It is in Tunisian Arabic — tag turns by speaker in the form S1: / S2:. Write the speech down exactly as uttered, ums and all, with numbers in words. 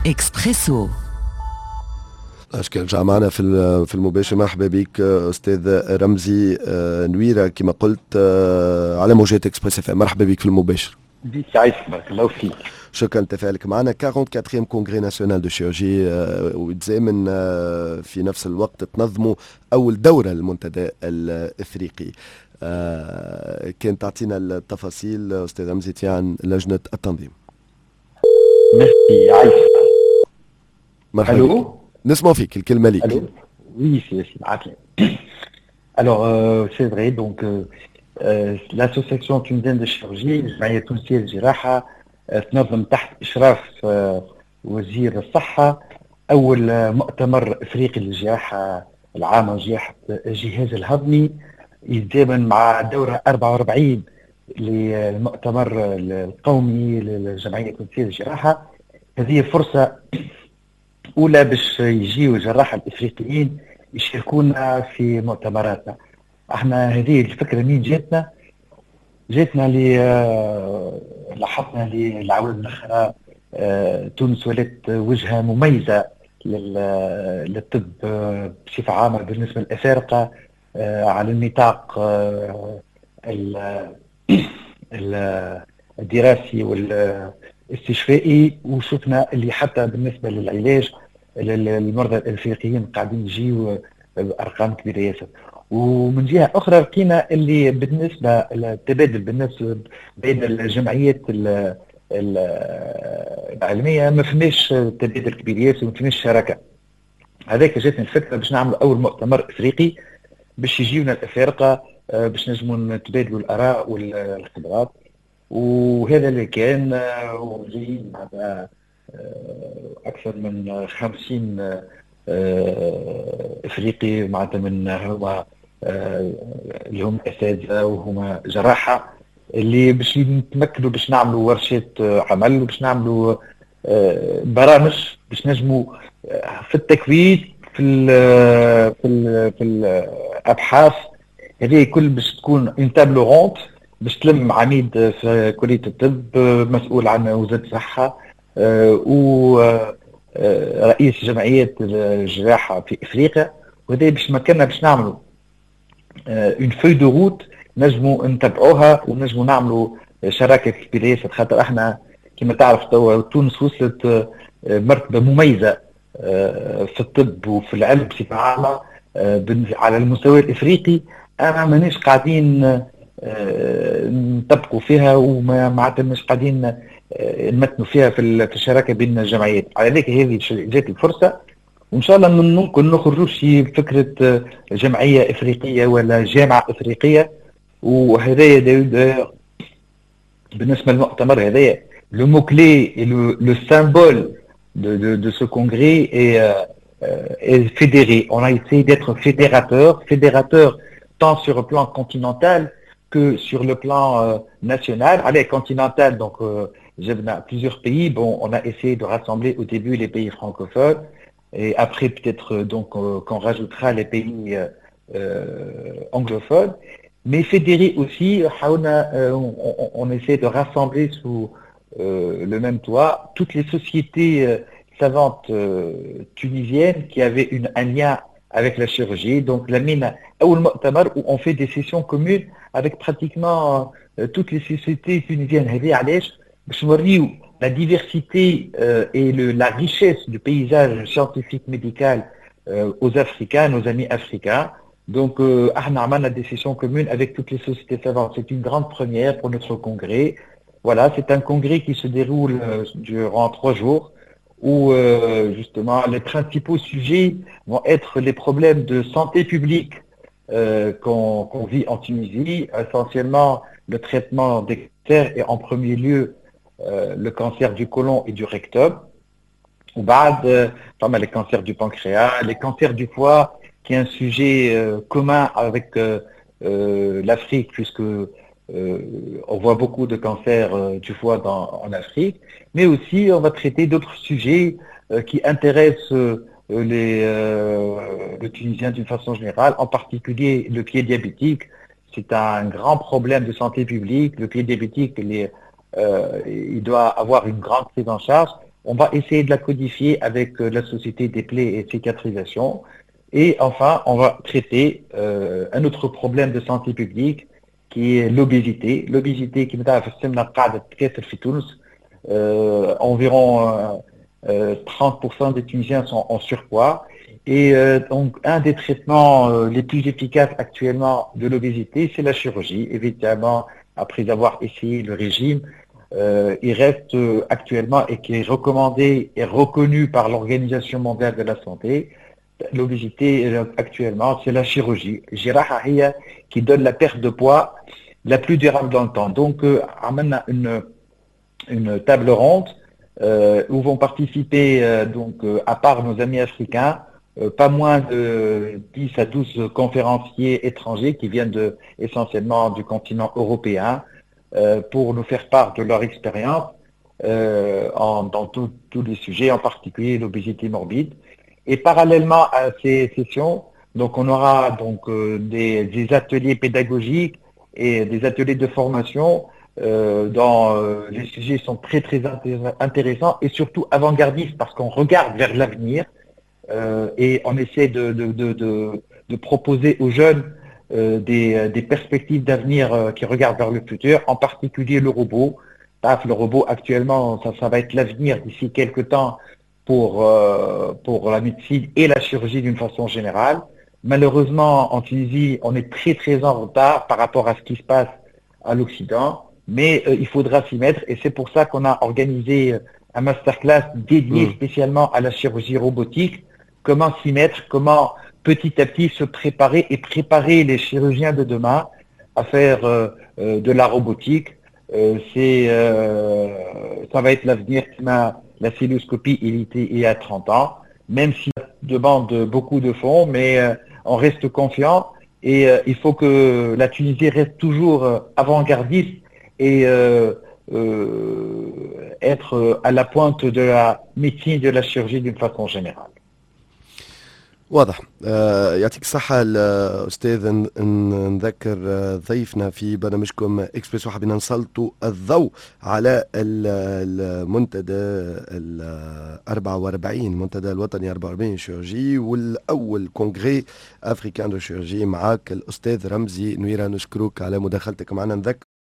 S1: اكسبريسو.
S2: اشكال رجع معنا في في المباشر. مرحبا بك استاذ رمزي آه، نويره، كما قلت آه، على موجات اكسبريس اف. مرحبا بك في المباشر.
S3: بيك، عايشك، بارك الله فيك.
S2: شكرا لتفاعلك معنا. quarante-quatrième congrès national de chirurgie، ويتزامن آه، في نفس الوقت تنظموا اول دوره للمنتدى الافريقي. كان تعطينا التفاصيل استاذ رمزي عن لجنة التنظيم.
S3: ميرسي، عايشك.
S2: مرحبا. الو، نسمع فيك، الكلمة ليك.
S3: Allô. Oui, c'est Alors, euh, c'est vrai, donc euh, euh, l'association tunisienne de chirurgie، الجمعية التونسية للجراحة، تنظم تحت إشراف وزير الصحة أول مؤتمر إفريقي للجراحة العامة وجراحة الجهاز الهضمي، يتزامن مع دورة أربعة وأربعين للمؤتمر القومي للجمعية التونسية للجراحة. هذه فرصة اولى باش يجيو الجراحة الافريقيين يشاركونا في مؤتمراتنا. احنا هذه الفكرة منين جاتنا؟ جاتنا لي آه، لاحظنا للعوام الاخرى آه، تونس ولات وجهه مميزة للطب آه، بصفة عامة بالنسبة للافارقه على النطاق الدراسي والاستشفائي، وشفنا اللي حتى بالنسبة للعلاج المرضى الافريقيين قاعدين يجيو بارقام كبيرة ياسر. ومن جهة اخرى لقينا اللي بالنسبة للتبادل بالنسبة بين الجمعيات العلمية ما فماش تبادل كبير ياسر وما فماش شراكه. هذاك جاتني الفكرة باش نعمل اول مؤتمر افريقي باش يجيونا الافارقه آه، باش نجموا نتبادلوا الاراء والخبرات، وهذا اللي كان آه، وجايين آه، اكثر من خمسين افريقي، معناتها من هما اللي هم اساتذة وهما جراحه، اللي باش نتمكنوا باش نعملوا ورشات عمل وباش نعملوا برامج باش نجموا في التكوين، في ال في ال في الابحاث، هذه كل باش تكون une table ronde باش تلم عميد في كليه الطب، مسؤول عن وزارة الصحه، و رئيس جمعية الجراحة في افريقيا. وهذا باش مكننا باش نعملوا une feuille de route نجموا نتبعوها ونجموا نعملوا شراكة كبيرة ياسر، خاطر احنا كما تعرف توا تونس وصلت مرتبه مميزة في الطب وفي العلم بصفة عامة على المستوى الافريقي، اما ماناش قاعدين نطبقوا فيها وما معناتها مش قاعدين نمتنوا فيها في الشراكة بين الجمعيات. على ذلك هذه جات الفرصه، وان شاء الله ممكن نخرجوا شي فكرة جمعية افريقية ولا جامعه افريقيه. وهذايا بالنسبة للمؤتمر هذايا، le mot clé et le, le symbole de, de, de ce congrès est, euh, est fédérer. On a essayé d'être fédérateur, fédérateur tant sur le plan continental que sur le plan euh, national. Allez, continental, donc euh, plusieurs pays. Bon, on a essayé de rassembler au début les pays francophones et après peut-être donc euh, qu'on rajoutera les pays anglophones. Mais fédérer aussi, on, on, on essaie de rassembler sous le même toit toutes les sociétés savantes tunisiennes qui avaient une, un lien avec la chirurgie. Donc لمينا أول مؤتمر où on fait des sessions communes avec pratiquement euh, toutes les sociétés tunisiennes. هذه علاش؟ باش نوريو la diversité euh, et le, la richesse du paysage scientifique médical euh, aux Africains, nos amis africains. Donc, euh, احنا عملنا des sessions communes avec toutes les sociétés savantes. C'est une grande première pour notre congrès. Voilà, c'est un congrès qui se déroule euh, durant trois jours où euh, justement les principaux sujets vont être les problèmes de santé publique euh, qu'on qu'on vit en Tunisie, essentiellement le traitement des cancers et en premier lieu euh, le cancer du côlon et du rectum. وبعد فما les cancers du pancréas, les cancers du foie, qui est un sujet euh, commun avec euh, euh, l'Afrique, puisque euh, on voit beaucoup de cancers euh, du foie dans, en Afrique, mais aussi on va traiter d'autres sujets euh, qui intéressent euh, les, euh, le Tunisien d'une façon générale, en particulier le pied diabétique. C'est un grand problème de santé publique. Le pied diabétique, il, est, euh, il doit avoir une grande prise en charge. On va essayer de la codifier avec la Société des plaies et cicatrisation. Et enfin, on va traiter un autre problème de santé publique qui est l'obésité. L'obésité qui euh, environ trente pour cent des Tunisiens sont en surpoids. Et donc, un des traitements les plus efficaces actuellement de l'obésité, c'est la chirurgie. Évidemment, après avoir essayé le régime, euh, il reste actuellement et qui est recommandé et reconnu par l'Organisation mondiale de la santé, l'obésité actuellement, c'est la chirurgie الجراحة هي qui donne la perte de poids la plus durable dans le temps. Donc, euh, عملنا une, une table ronde euh, où vont participer, euh, donc, euh, à part nos amis africains, euh, pas moins de dix à douze conférenciers étrangers qui viennent de, essentiellement du continent européen euh, pour nous faire part de leur expérience euh, en, dans tous les sujets, en particulier l'obésité morbide. Et parallèlement à ces sessions, donc on aura donc euh, des, des, ateliers pédagogiques et des ateliers de formation euh, dont euh, les sujets sont très très intéressants et surtout avant-gardistes parce qu'on regarde vers l'avenir euh, et on essaie de, de, de, de, proposer aux jeunes euh, des, des, perspectives d'avenir euh, qui regardent vers le futur, en particulier le robot. Le robot actuellement, ça, ça va être l'avenir d'ici quelques temps pour, euh, pour la médecine et la chirurgie d'une façon générale. Malheureusement, en Tunisie, on est très très en retard par rapport à ce qui se passe à l'Occident, mais euh, il faudra s'y mettre et c'est pour ça qu'on a organisé un masterclass dédié mmh. spécialement à la chirurgie robotique. Comment s'y mettre, comment petit à petit se préparer et préparer les chirurgiens de demain à faire euh, euh, de la robotique. Euh, c'est, ça va être l'avenir. La cœlioscopie, il était il y a trente ans, même si ça demande beaucoup de fonds, mais on reste confiant et il faut que la Tunisie reste toujours avant-gardiste et être à la pointe de la médecine, de la chirurgie d'une façon générale.
S2: واضح آه يعطيك الصحة الأستاذ. نذكر ضيفنا في برنامجكم اكسبريسو، حبينا نسلطوا الضوء على المنتدى ال أربعة وأربعين، المنتدى الوطني أربعة وأربعين chirurgie والأول congrès africain de chirurgie، معاك الأستاذ رمزي نويرة. نشكرك على مداخلتك معنا. نذكر